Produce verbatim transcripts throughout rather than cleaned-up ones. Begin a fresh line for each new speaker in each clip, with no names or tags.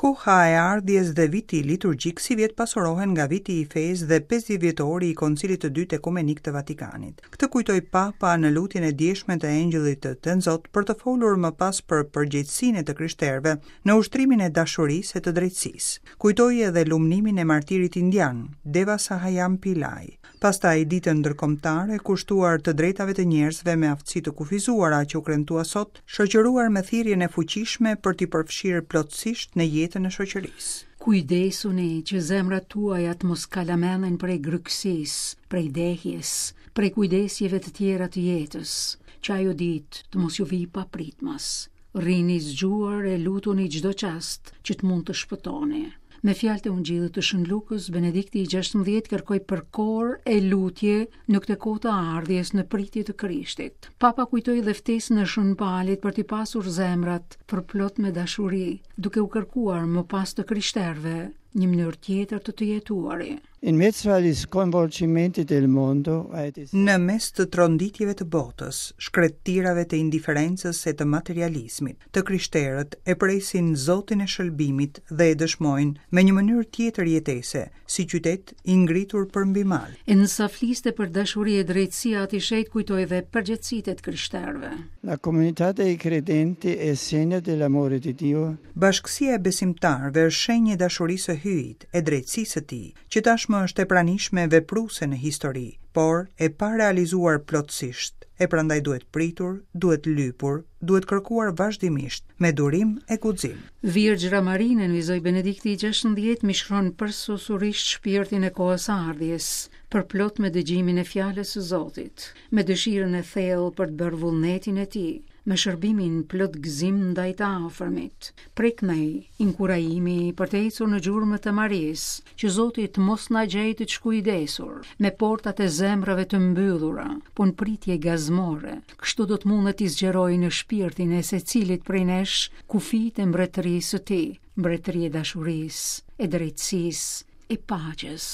Koha e ardhjes dhe viti liturgjik sivjet pasurohen nga viti i fesë dhe pesëdhjetë vjetori i Koncilit të Dytë Ekumenik të Vatikanit. Këtë kujtoi Papa në lutjen e djeshme të Engjëllit të Tënzot për të folur më pas për përgjegjësinë e të krishterëve në ushtrimin e dashurisë e të drejtësisë. Kujtoi edhe lumnimin e martirit indian, Deva Sahayam Pillai. Pastaj ditën ndërkombëtare kushtuar të drejtave të njerëzve me aftësi të kufizuara që u kremtua sot, shoqëruar me thirrjen e fuqishme për t'i përfshirë plotësisht në jetën e shoqërisë.
Kujdesuni që zemrat tuaja të mos kalamenden prej grykësisë, prej dehjes, prej kujdesjeve të tjera të jetës, që ajo ditë të mos ju vijë papritmas. Rrini zgjuar e lutuni çdo çast që të mund të shpëtoni. Me fjalët e Ungjillit të Shën Lukës, Benedikti i gjashtëmbëdhjetë kërkoi përkor e lutje në këtë kohë të ardhjes në pritje të Krishtit. Papa kujtoi dhe ftesën e Shën Palit për t'i pasur zemrat përplot me dashuri, duke u kërkuar më pas të krishterëve një mënyrë tjetër të të jetuari.
In mezzo agli sconvolgimenti del mondo, ai
Në mes të tronditjeve të botës, shkretëtirave të indiferencës e të materializmit, të krishterët e presin Zotin e shëlbimit dhe e dëshmojnë me një mënyrë tjetër jetese, si qytet i ngritur përmbi mal.
E nësa fliste për dashuri e drejtësi, Ati i Shenjtë kujtoi dhe përgjegjësitë e të krishterëve.
La comunità dei credenti è segno dell'amore di Dio.
Bashkësia e besimtarëve është shenjë e dashurisë së Hyjit, e drejtësisë së Tij, që tashmë është e pranishme vepruese në histori, por e pa realizuar plotësisht, e prandaj duhet pritur, duhet lypur, duhet kërkuar vazhdimisht, me durim e guxim.
Virgjra Marinë, nënvizoi Benedikti i gjashtëmbëdhjetë, mishron përsosurisht shpirtin e kohës së ardhjes, përplot me dëgjimin e fjalës së Zotit, me dëshirën e thellë për të bërë vullnetin e Tij, me shërbimin plot gëzim ndaj të afërmit. Preknej inkurajimi për të ecur në gjurmët e Marisë, që Zoti të mos na gjejë të shkujdesur, me portat e zemrave të mbyllura, po në pritje gazmore. Kështu do të mundet t'i zgjerojë në shpirtin e secilit prej nesh kufijtë e mbretërisë së Tij, mbretëri e dashurisë, e drejtësisë, e paqes.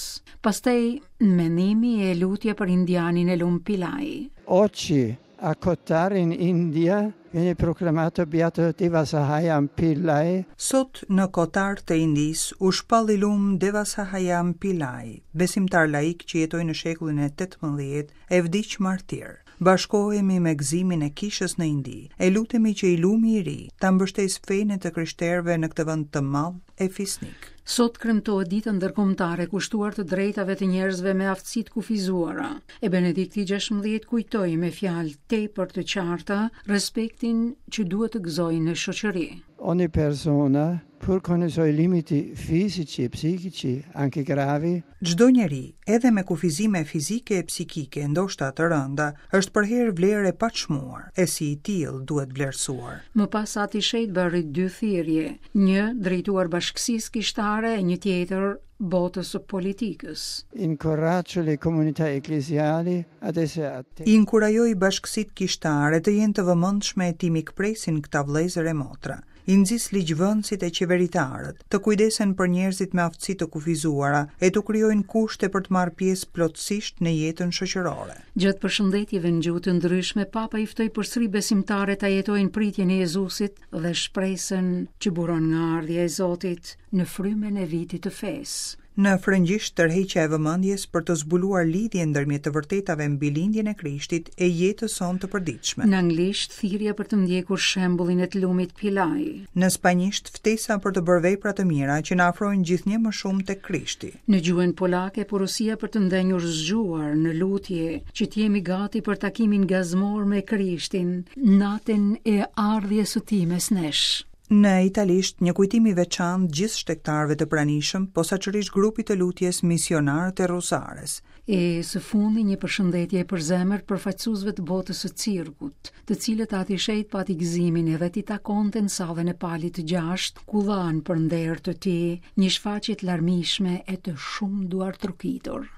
Pastaj mendimi e lutja për indianin e Lum Pillai.
Oggi a Kottar in India viene proclamato beato Devasahayam Pillai.
Sot në Kottar të Indisë u shpall i lum Devasahayam Pillai, besimtar laik që jetoi në shekullin e tetëmbëdhjetë e vdiq martir. Bashkohemi me gëzimin e kishës në Indi e lutemi që i lumi i ri ta mbështesë fenë e të krishterëve në këtë vend të madh e fisnik.
Sot kremtohet dita ndërkombëtare kushtuar të drejtave të njerëzve me aftësi të kufizuara. E Benedikti i gjashtëmbëdhjetë kujtoi me fjalë tepër të qarta respektin që duhet të gëzojnë në shoqëri.
Ogni persona, pur con i suoi limiti fisici e psichici, anche gravi,
Çdo njeri, edhe me kufizime fizike e psikike, ndoshta të rënda, është përherë vlerë e paçmuar, e si i tillë duhet vlerësuar.
Më pas Ati i Shenjtë bëri dy thirrje, një drejtuar bashkësisë kishtare e një tjetër botës së politikës.
Incoraggio le comunità ecclesiali ad essere attente.
Inkurajoj bashkësitë kishtare të jenë të vëmendshme e t'i mikpresin këta vëllezër e motra. I nxis ligjvënësit e qeveritarët të kujdesen për njerëzit me aftësi të kufizuara e t'u krijojnë kushte për të marrë pjesë plotësisht në jetën shoqërore.
Gjatë përshëndetjeve në gjuhë të ndryshme, Papa i ftoi përsëri besimtarët ta jetojnë pritjen e Jezusit dhe shpresën që buron nga ardhja e Zotit në frymën e vitit të fesë.
Në frëngjisht tërheqja e vëmendjes për të zbuluar lidhjen ndërmjet të vërtetave mbi lindjen e Krishtit e jetës sonë të përditshme.
Në anglisht thirrja për të ndjekur shembullin e të lumit Pillai.
Në spanjisht ftesa për të bërë vepra të mira që na afrojnë gjithnjë më shumë tek Krishti.
Në gjuhën polake porosia për të ndenjur zgjuar në lutje që të jemi gati për takimin gazmor me Krishtin natën e ardhjes së tij mes nesh.
Në italisht, një kujtim i veçantë gjithë shtegtarëve të pranishëm, posaçërisht grupit të lutjes misionarët e Rosares.
E së fundi një përshëndetje e përzemërt përfaqësuesve të botës së cirkut, të cilët Ati i Shenjtë pati gëzimin edhe t'i takonte në sallën e Palit të gjashtë, ku dhanë për nder të tij një shfaqje të larmishme e të shumë duartrokitur.